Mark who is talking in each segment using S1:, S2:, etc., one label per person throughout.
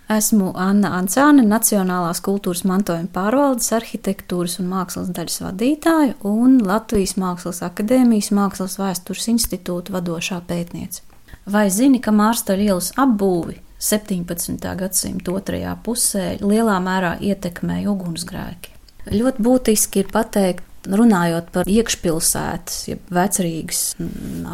S1: Esmu Anna Ancāne, Nacionālās kultūras mantojuma pārvaldes arhitektūras un mākslas daļas vadītāja un Latvijas Mākslas akadēmijas Mākslas vēstures institūta vadošā pētniece. Vai zini, ka Mārstaļu ielas apbūvi 17. gadsimta otrajā pusē lielā mērā ietekmēja ugunsgrēki? Ļoti būtiski ir pateikt, runājot par iekšpilsētas, jeb Vecrīgas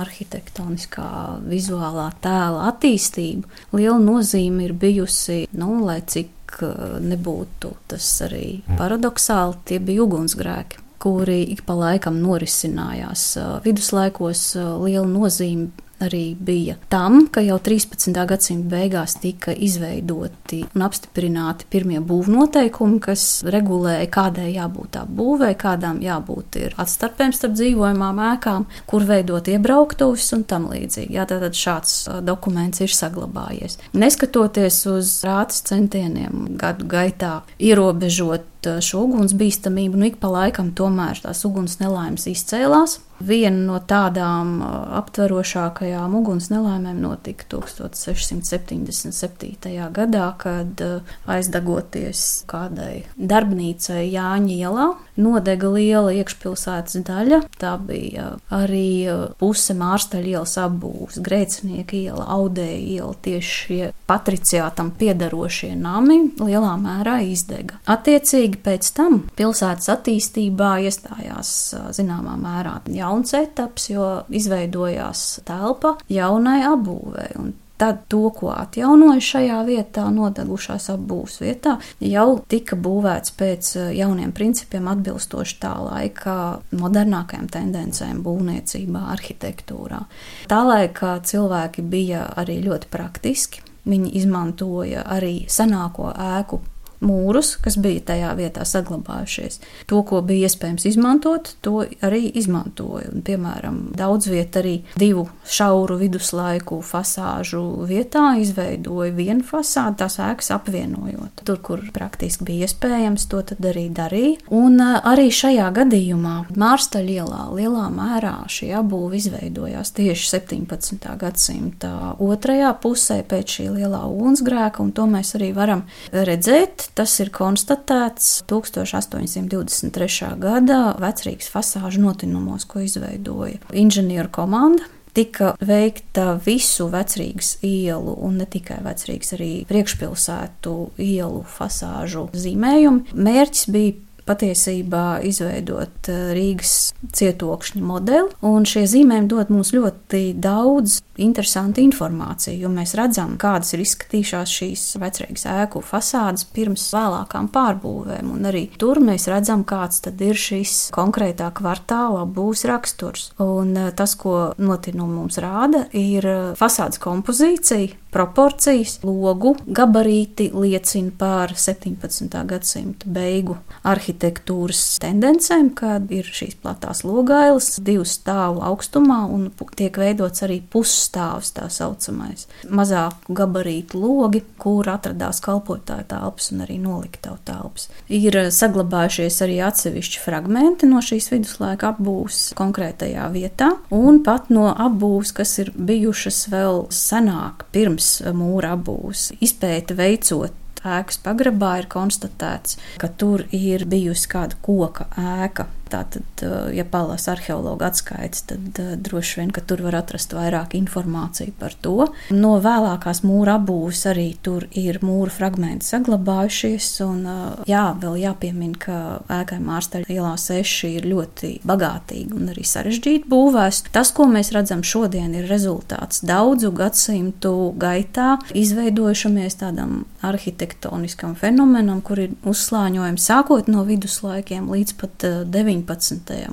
S1: arhitektoniskā vizuālā tēla attīstību, liela nozīme ir bijusi, lai cik nebūtu tas arī paradoxāli, tie bija ugunsgrēki, kuri ik pa laikam norisinājās. Viduslaikos liela nozīme arī bija tam, ka jau 13. gadsimta beigās tika izveidoti un apstiprināti pirmie būvnoteikumi, kas regulēja, kādai jābūt apbūvei, kādām jābūt ir atstarpēm starp dzīvojamām ēkām, kur veidot iebrauktuves un tam līdzīgi. Tātad šāds dokuments ir saglabājies. Neskatoties uz rātas centieniem gadu gaitā ierobežot šo ugunsbīstamību, ik pa laikam tomēr tās uguns nelaimes izcēlās. Viena no tādām aptverošākajām uguns nelaimēm notika 1677. gadā, kad aizdegoties kādai darbnīcai Jāņa ielā, nodega liela iekšpilsētas daļa. Tā bija arī puse Mārstaļu ielas apbūves, Grēcinieka iela, Audēja iela, tieši šie patriciātam piedarošie nami lielā mērā izdega. Attiecīgi pēc tam pilsētas attīstībā iestājās zināmā mērā jauns etaps, jo izveidojās telpa jaunai apbūvei. Un tad to, ko atjaunoja šajā vietā, nodegušās apbūves vietā, jau tika būvēts pēc jauniem principiem atbilstoši tā laika modernākajām tendencēm būvniecībā, arhitektūrā. Tā laika cilvēki bija arī ļoti praktiski. Viņi izmantoja arī senāko ēku mūrus, kas bija tajā vietā saglabājušies. To, ko bija iespējams izmantot, to arī izmantoja. Un, piemēram, daudz viet arī divu šauru viduslaiku fasāžu vietā izveidoja vienu fasādu, tās ēkas apvienojot. Tur, kur praktiski bija iespējams, to tad arī darīja. Un arī šajā gadījumā Mārstaļu ielā lielā mērā šī apbūve izveidojās tieši 17. gadsimta otrajā pusē pēc šī lielā ugunsgrēka, un to mēs arī varam redzēt. Tas ir konstatēts 1823. gada Vecrīgas fasāžu notinumos, ko izveidoja inženieru komanda. Tika veikta visu Vecrīgas ielu un ne tikai Vecrīgas, arī priekšpilsētu ielu fasāžu zīmējumi. Mērķis bija patiesībā izveidot Rīgas cietokšņa modeli, un šie zīmējumi dod mums ļoti daudz interesantu informāciju, jo mēs redzam, kādas ir izskatījušās šīs Vecrīgas ēku fasādes pirms vēlākām pārbūvēm, un arī tur mēs redzam, kāds tad ir šis konkrētā kvartāla apbūves raksturs. Un tas, ko notinumi mums rāda, ir fasādes kompozīcija, proporcijas, logu gabarīti liecina par 17. gadsimta beigu arhitektūras tendencēm, kad ir šīs platās logailas 2 stāvu augstumā un tiek veidots arī pusstāvs, tā saucamais. Mazāku gabarītu logi, kur atradās kalpotāju telpas un arī noliktavu telpas. Ir saglabājušies arī atsevišķi fragmenti no šīs viduslaika apbūves konkrētajā vietā, un pat no apbūves, kas ir bijušas vēl senāk, pirms mūra apbūves. Izpēte veicot ēkas pagrabā ir konstatēts, ka tur ir bijusi kāda koka ēka. Tātad, ja palās arheologa atskaites, tad droši vien, ka tur var atrast vairāk informāciju par to. No vēlākās mūra apbūves arī tur ir mūra fragmenti saglabājušies, un vēl jāpiemina, ka ēkai Mārstaļu ielā 6 ir ļoti bagātīgi un arī sarežģīti būvēs. Tas, ko mēs redzam šodien, ir rezultāts daudzu gadsimtu gaitā izveidojušamies tādam arhitektoniskam fenomenam, kur ir uzslāņojumi sākot no viduslaikiem līdz pat 19.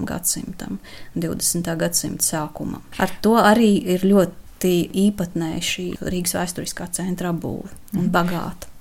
S1: gadsimtam, 20. gadsimta sākumam. Ar to arī ir ļoti īpatnēja šī Rīgas vēsturiskā centra apbūve un bagāta.